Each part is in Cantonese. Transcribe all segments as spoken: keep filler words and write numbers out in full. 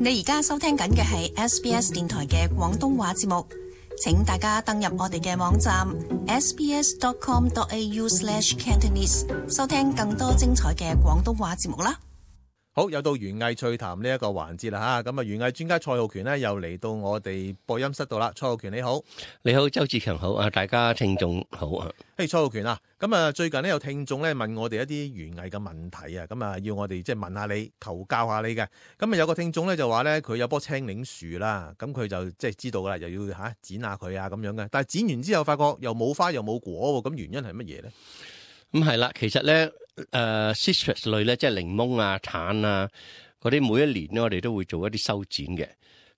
你而家收聽緊嘅係 S B S 電台嘅廣東話節目，請大家登入我哋嘅網站 s b s dot com dot a u slash cantonese 收聽更多精彩嘅廣東話節目啦。好，又到園藝趣談呢一個環節啦吓，咁啊園藝專家蔡浩權呢又嚟到我哋播音室度啦。蔡浩權你好。你好，周志強好啊，大家聽眾好啊。嘿、hey, 蔡浩權啊，咁啊最近呢有聽眾咧問我哋一啲園藝嘅問題啊，咁啊要我哋即係問下你，求教下你嘅。咁啊有個聽眾咧就話咧佢有棵青檸樹啦，咁佢就即係知道噶啦，又要吓剪下佢啊咁樣嘅，但係剪完之後發覺又冇花又冇果，咁原因係乜嘢咧？咁係啦，其實咧，誒、呃、citrus 類咧，即係檸檬啊、橙啊嗰啲，每一年咧，我哋都會做一啲修剪嘅。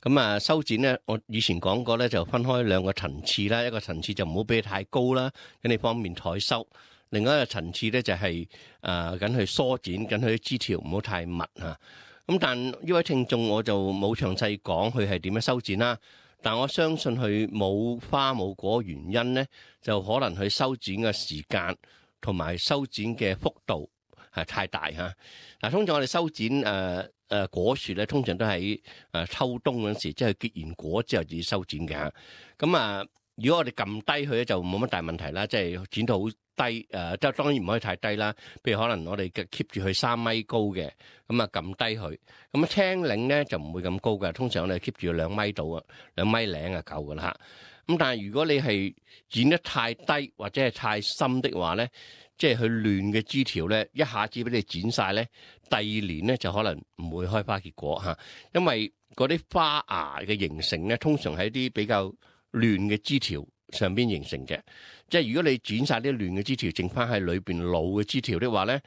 咁啊，修剪咧，我以前講過咧，就分開兩個層次啦。一個層次就唔好俾佢太高啦，咁你方便採收；另外一個層次咧就係誒緊去梳剪，緊佢啲枝條唔好太密啊。咁但呢位聽眾我就冇詳細講佢係點樣修剪啦。但我相信佢冇花冇果原因咧，就可能佢修剪嘅時間同埋修剪嘅幅度係太大嚇。嗱，通常我哋修剪誒誒、呃、果樹咧，通常都喺誒秋冬嗰陣時，即係結完果之後至修剪嘅。咁啊，如果我哋撳低佢咧，就冇乜大問題啦，即係剪到好低誒，即、呃、係當然唔可以太低啦。譬如可能我哋嘅 keep 住佢三米高嘅，咁啊撳低佢。咁啊青檸咧就唔會咁高嘅，通常我哋 keep 住兩米度啊，兩米零啊夠噶啦嚇。咁但係如果你係剪得太低或者係太深的話咧，即係佢亂嘅枝條咧，一下子俾你剪晒咧，第二年咧就可能唔會開花結果嚇，因為嗰啲花芽嘅形成咧，通常喺啲比較亂嘅枝條上邊形成嘅。即係如果你剪晒啲亂嘅枝條，剩翻喺裏邊老嘅枝條的話咧，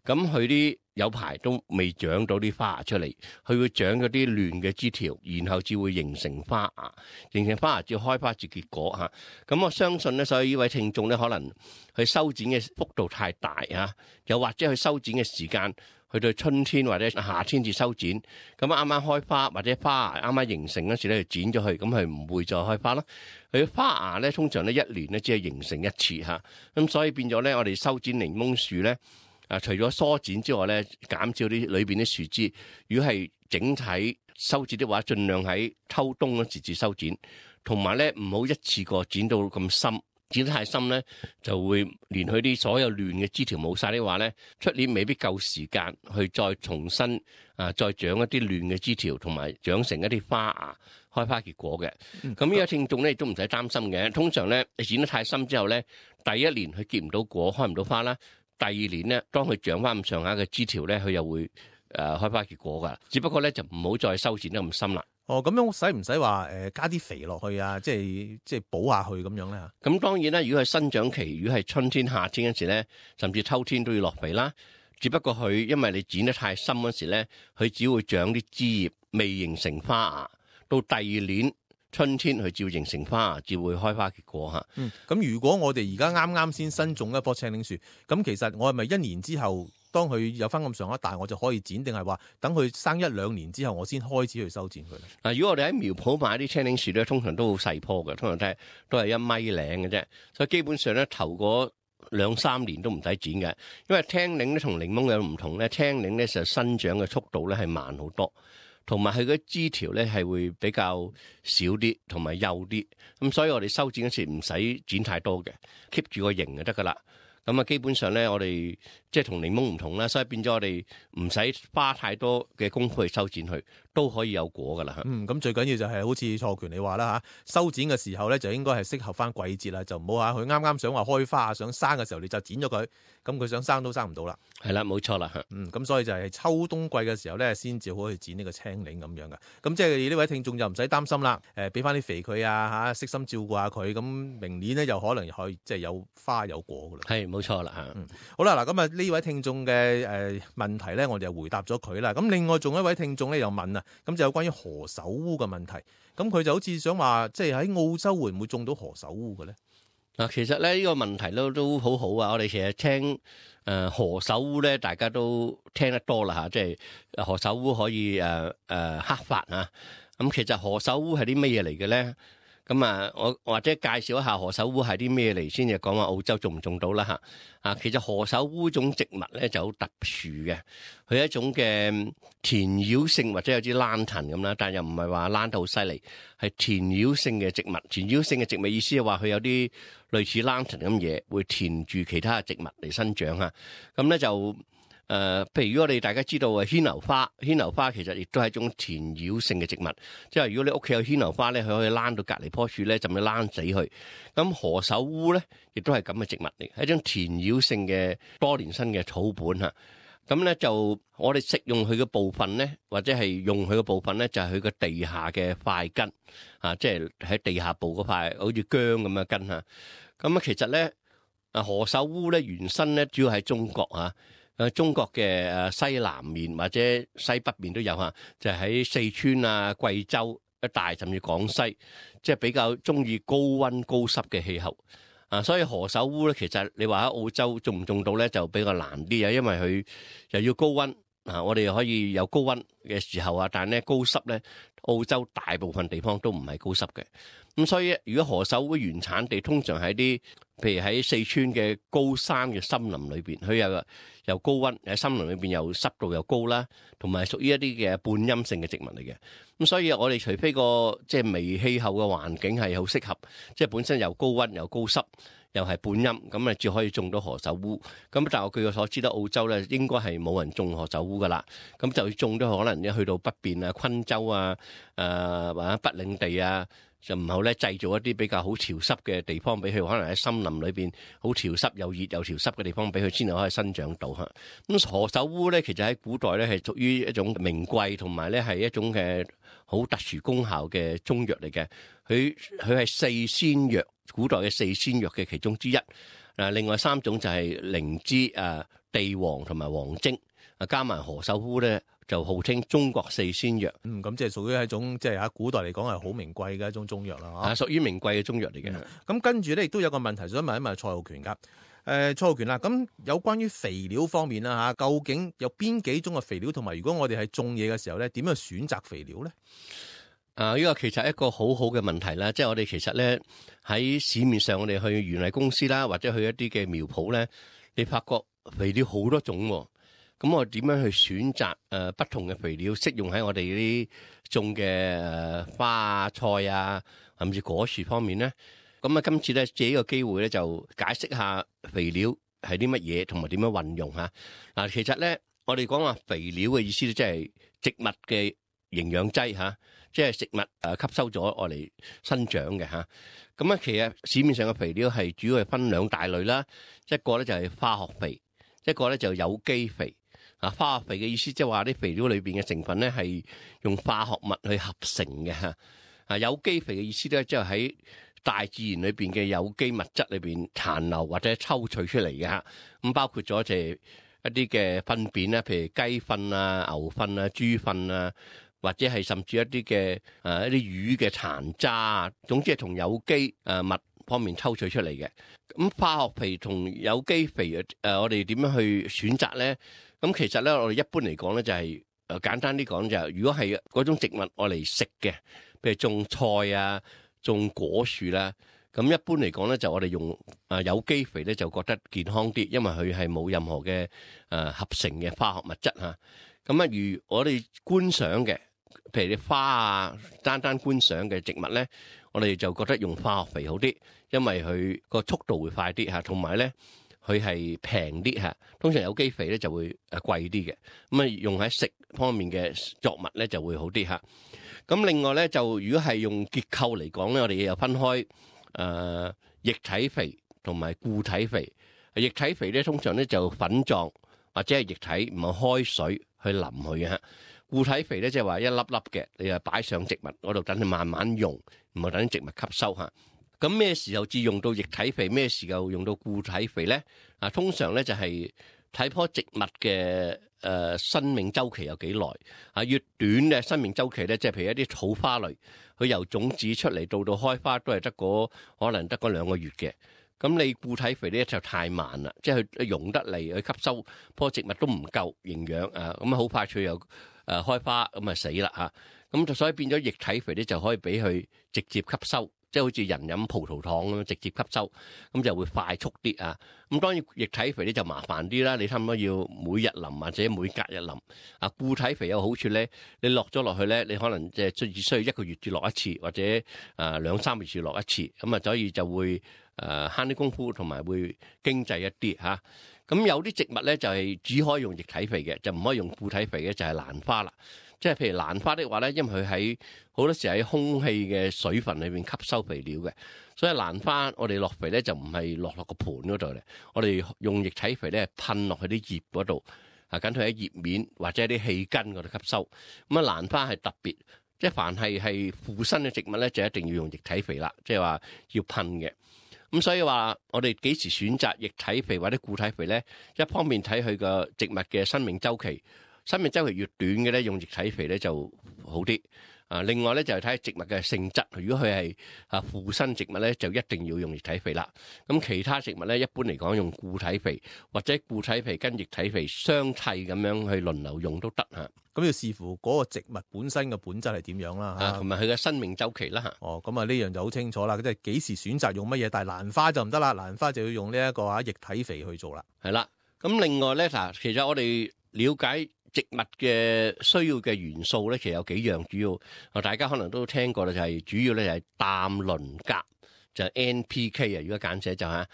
咁佢啲有排都未長到啲花芽出嚟，佢會長嗰啲亂嘅枝條，然後至會形成花芽，形成花芽至開花至結果嚇。咁我相信咧，所以呢位聽眾咧，可能佢修剪嘅幅度太大嚇，又或者佢修剪嘅時間去到春天或者夏天至修剪，咁啱啱開花或者花芽啱啱形成嗰時咧，就剪咗佢，咁佢唔會再開花啦。佢花芽咧，通常咧一年咧只係形成一次嚇，咁所以變咗咧，我哋修剪檸檬樹咧。啊！除咗梳剪之外咧，減少啲裏邊啲樹枝。如果係整體修剪的話，盡量喺秋冬嗰時至修剪，同埋咧唔好一次過剪到咁深，剪得太深咧就會連佢啲所有亂嘅枝條冇晒的話咧，出年未必夠時間去再重新啊再長一啲亂嘅枝條，同埋長成一啲花芽開花結果嘅。咁呢個聽眾咧亦都唔使擔心嘅。通常咧你剪得太深之後咧，第一年佢結唔到果，開唔到花啦。第二年咧，當佢長翻咁上下嘅枝條咧，佢又會誒、呃、開花結果噶。只不過咧就唔好再修剪得咁深啦。哦，咁樣使唔使話誒加啲肥落去啊？即係即係補下去咁樣咧嚇。咁當然啦，如果係生長期，如果係春天、夏天嗰時咧，甚至秋天都要落肥啦。只不過佢因為你剪得太深嗰時咧，佢只會長啲枝葉，未形成花芽。到第二年春天佢照形成花，至會開花結果嚇。嗯，咁如果我哋而家啱啱先新種一棵青檸樹，咁其實我係咪一年之後，當佢有翻咁上下大，我就可以剪，定係話等佢生一兩年之後，我先開始去修剪佢咧？嗱，如果我哋喺苗圃買啲青檸樹咧，通常都好細棵嘅，通常都係都係一米零嘅啫，所以基本上咧頭嗰兩三年都唔使剪嘅。因為青檸咧同檸檬有唔同咧，青檸咧就生長嘅速度咧係慢好多。同埋佢嗰枝條咧係會比較少啲，同埋幼啲，咁所以我哋修剪嗰時唔使剪太多嘅 ，keep 住個型就得噶啦。咁啊，基本上咧我哋即係同檸檬唔同啦，所以變咗我哋唔使花太多嘅功夫去修剪佢，都可以有果噶啦。嗯，咁最緊要就係好似蔡浩權你話啦嚇，修剪嘅時候咧就應該係適合翻季節啦，就唔好嚇佢啱啱想話開花想生嘅時候你就剪咗佢，咁佢想生都生唔到啦。係啦，冇錯啦嚇。嗯，咁所以就係秋冬季嘅時候咧先至可以剪呢個青檸咁樣噶。咁即係呢位聽眾就唔使擔心啦。誒，俾翻啲肥佢啊嚇，悉心照顧下佢，咁明年咧又可能可以即係有花有果噶啦。係冇錯啦嚇。嗯，好啦嗱，咁啊呢位聽眾嘅誒問題咧，我哋就回答咗佢啦。咁另外仲有一位聽眾咧又問啊，咁就有關於何首烏嘅問題。咁佢就好似想話，即係喺澳洲會唔會種到何首烏嘅咧？嗱，其實咧呢個問題都都好好啊！我哋其實聽誒何首烏咧，大家都聽得多啦嚇，即係何首烏可以誒誒黑發啊。咁其實何首烏係啲乜嘢嚟嘅咧？咁啊，我或者介紹一下何首烏係啲咩嚟先，就講話澳洲種唔種到啦嚇。啊，其實何首烏種植物咧就好特殊嘅，佢係一種嘅田擾性或者有啲蘭藤咁啦，但又唔係話蘭得好犀利，係田擾性嘅植物。田擾性嘅植物意思係話佢有啲類似蘭藤咁嘢，會填住其他嘅植物嚟生長嚇。咁咧就。誒、呃，譬如如果我哋大家知道啊，牽牛花，牽牛花其實亦都係一種田擾性嘅植物，即係如果你屋企有牽牛花咧，佢可以躝到隔離棵樹咧，就咁躝死佢。咁何首烏咧，亦都係咁嘅植物嚟，係一種田擾性嘅多年生嘅草本嚇。咁咧就我哋食用佢嘅部分咧，或者係用佢嘅部分咧，就係佢嘅地下嘅塊根啊，即係喺地下部嗰塊好似薑咁嘅根嚇。咁啊，其實咧啊何首烏咧原生咧主要喺中國嚇。誒中國嘅誒西南面或者西北面都有嚇，就喺四川啊、貴州一帶甚至廣西，即係比較中意高溫高濕嘅氣候啊。所以何首烏咧，其實你話喺澳洲種唔種到咧，就比較難啲啊，因為佢又要高溫啊。我哋可以有高溫嘅時候啊，但係咧高濕咧，澳洲大部分地方都唔係高濕嘅。咁所以如果何首烏原產地通常喺啲，譬如喺四川嘅高山嘅森林裏邊，佢又又高溫喺森林裏邊又濕度又高啦，同埋屬於一啲嘅半陰性嘅植物嚟嘅。咁所以我哋除非個即係微氣候嘅環境係好適合，即係本身又高溫又高濕又係半陰，咁啊至可以種到何首烏。咁但係我據我所知咧，澳洲咧應該係冇人種何首烏噶啦。咁就種都可能一去到北邊啊、昆州啊、誒或者北領地啊。就唔好咧，製造一啲比較好潮濕嘅地方俾佢，可能喺森林裏邊好潮濕又熱又潮濕嘅地方俾佢，先至可以生長到嚇。咁何首烏咧，其實喺古代咧係屬於一種名貴同埋咧係一種嘅好特殊功效嘅中藥嚟嘅。佢佢係四仙藥，古代嘅四仙藥嘅其中之一。誒，另外三種就係靈芝、誒地黃同埋黃精，啊加埋何首烏咧。就號稱中國四仙藥，嗯，咁即係屬於一種即係喺古代嚟講係好名貴嘅一種中藥啦，啊，屬於名貴嘅中藥嚟嘅。咁、嗯、跟住咧，亦都有個問題想問一問蔡浩權噶，誒、呃，蔡浩權啦，咁有關於肥料方面啦吓，究竟有邊幾種嘅肥料，同埋如果我哋係種嘢嘅時候咧，點樣選擇肥料咧？啊，呢個其實係一個好好嘅問題啦，即係我哋其實咧喺市面上，我哋去園藝公司啦，或者去一啲嘅苗圃咧，你發覺肥料好多種喎。咁我點樣去選擇誒不同嘅肥料適用喺我哋啲種嘅花菜啊，甚至果樹方面咧？咁啊，今次咧借呢個機會咧，就解釋下肥料係啲乜嘢，同埋點樣運用嚇。嗱，其實咧，我哋講話肥料嘅意思咧，即係植物嘅營養劑嚇，即係食物誒吸收咗我嚟生長嘅嚇。咁啊，其實市面上嘅肥料係主要係分兩大類啦，一個咧就係化學肥，一個咧就有機肥。啊，化學肥嘅意思即係話啲肥料裏邊嘅成分咧係用化學物去合成嘅嚇。啊，有機肥嘅意思咧，即係喺大自然裏邊嘅有機物質裏邊殘留或者抽取出嚟嘅嚇。咁包括咗就係一啲嘅糞便啦，譬如雞糞啊、牛糞啊、豬糞啊，或者係甚至一啲嘅誒一啲魚嘅殘渣啊，總之係同有機誒物方面抽取出嚟嘅。咁化學肥同有機肥誒，我哋點樣去選擇咧？咁其實咧，我哋一般嚟講咧，就係誒簡單啲講就係，如果係嗰種植物我嚟食嘅，譬如種菜啊、種果樹啦，咁一般嚟講咧，就我哋用誒有機肥咧，就覺得健康啲，因為佢係冇任何嘅誒合成嘅化學物質嚇。咁啊，如我哋觀賞嘅，譬如啲花啊，單單觀賞嘅植物咧，我哋就覺得用化學肥好啲，因為佢個速度會快啲嚇，同埋咧。佢係平啲嚇，通常有機肥咧就會誒貴啲嘅，咁啊用喺食方面嘅作物咧就會好啲嚇。咁另外咧就如果係用結構嚟講咧，我哋又分開誒、呃、液體肥同埋固體肥。液體肥咧通常咧就粉狀或者係液體，唔係開水去淋佢嘅嚇。固體肥咧即係話一粒粒嘅，你就擺上植物嗰度等佢慢慢用，唔係等植物吸收嚇。咁咩時候至用到液體肥？咩時候用到固體肥咧？啊，通常咧就係睇棵植物嘅誒生命週期有幾耐啊？越短嘅生命週期咧，即係譬如一啲草花類，佢由種子出嚟到到開花都係得嗰可能得嗰兩個月嘅。咁你固體肥咧就太慢啦，即係佢溶得嚟，去吸收棵植物都唔夠營養啊！咁啊好快脆又誒開花，咁啊死啦嚇！咁就所以變咗液體肥咧就可以俾佢直接吸收。即係好似人飲葡萄糖咁直接吸收，咁就會快速啲啊。咁當然液體肥咧就麻煩啲啦，你差唔多要每日淋或者每隔日淋。啊，固體肥有好處咧，你落咗落去咧，你可能即係只需要一個月至落一次，或者誒兩三個月至落一次，咁啊所以就會誒慳啲功夫，同埋會經濟一啲嚇。咁有啲植物咧就係只可以用液體肥嘅，就唔可以用固體肥嘅，就係蘭花啦。即係譬如蘭花的話咧，因為佢喺好多時喺空氣嘅水分裏邊吸收肥料嘅，所以蘭花我哋落肥咧就唔係落落個盤嗰度咧，我哋用液體肥咧噴落去啲葉嗰度，啊緊佢喺葉面或者啲氣根嗰度吸收。咁啊蘭花係特別，即係凡係係附生嘅植物咧，就一定要用液體肥啦，即係話要噴嘅。咁所以話我哋幾時選擇液體肥或者固體肥咧？一方面睇佢個植物嘅生命週期。生命週期越短嘅咧，用液體肥咧就好啲。啊，另外咧就係睇植物嘅性質。如果佢係啊附生植物咧，就一定要用液體肥啦。咁其他植物咧，一般嚟講用固體肥或者固體肥跟液體肥相替咁樣去輪流用都得嚇。咁要視乎嗰個植物本身嘅本質係點樣啦嚇，同埋佢嘅生命週期啦嚇。哦，咁啊呢樣就好清楚啦，即係幾時選擇用乜嘢。但係蘭花就唔得啦，蘭花就要用呢一個啊液體肥去做啦。係啦，咁另外咧嗱，其實我哋了解植物嘅需要嘅元素咧，其實有幾樣主要，啊大家可能都聽過啦，就係主要咧就係氮、磷、鉀，就係 N P K 啊，如果簡寫就係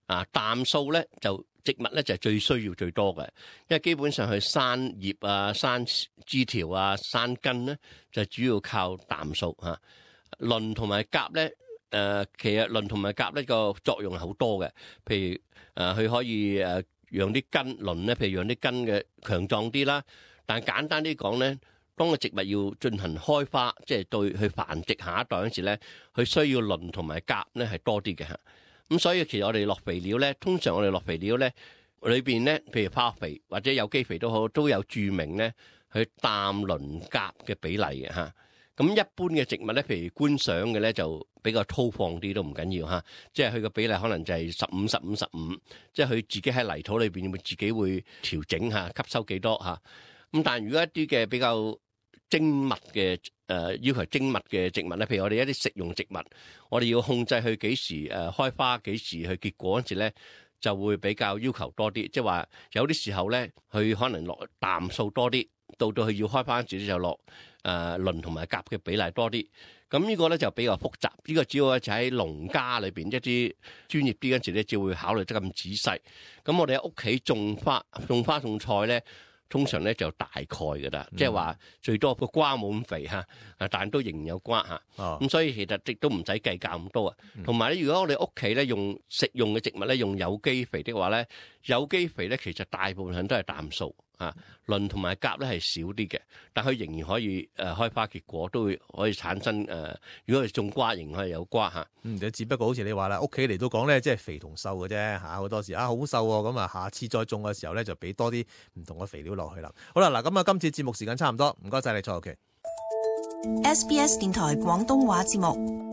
啊氮素咧就植物咧就係最需要最多嘅，因為基本上佢生葉啊、生枝條啊、生根咧就主要靠氮素嚇。磷同埋鉀咧，誒其實磷同埋鉀呢個作用係好多嘅，譬如誒佢可以誒。讓啲根磷咧，譬如讓啲根嘅強壯啲啦。但係簡單啲講咧，當個植物要進行開花，即係對去繁殖下一代嗰時咧，佢需要磷同埋鉀咧係多啲嘅嚇。咁所以其實我哋落肥料咧，通常我哋落肥料咧裏邊咧，譬如化學肥或者有機肥都好，都有註明咧佢氮、磷、鉀嘅比例嘅嚇。咁一般嘅植物咧，譬如觀賞嘅咧，就比較粗放啲都唔緊要嚇，即係佢個比例可能就係十五、十五、十五，即係佢自己喺泥土裏邊會自己會調整嚇，吸收幾多嚇。咁但係如果一啲嘅比較精密嘅誒要求精密嘅植物咧，譬如我哋一啲食用植物，我哋要控制佢幾時誒開花，幾時去結果嗰時咧，就會比較要求多啲。即係話有啲時候咧，佢可能落氮素多啲，到到佢要開花嗰時就落誒磷同埋鉀嘅比例多啲。咁呢個咧就比較複雜。呢個主要就喺農家裏邊一啲專業啲嗰陣時咧，就會考慮得咁仔細。咁我哋喺屋企種花、種花種菜咧，通常咧就大概㗎啦，即係話最多個瓜冇咁肥嚇，啊但都仍然有瓜嚇。咁、哦、所以其實亦都唔使計較咁多啊。同埋咧，如果我哋屋企咧用食用嘅植物咧用有機肥的話咧，有機肥咧其實大部分都係氮素啊，磷同埋鉀咧係少啲嘅，但佢仍然可以誒、呃、開花結果，都會可以產生誒、呃。如果係種瓜，仍然係有瓜嚇。嗯，只不過好似你話啦，屋企嚟到講咧，即係肥同瘦嘅啫嚇。好多時啊好瘦喎，咁啊下次再種嘅時候咧就俾多啲唔同嘅肥料落去啦。好啦，嗱咁啊，今次節目時間差唔多，唔該晒你蔡浩權。S B S 電台廣東話節目。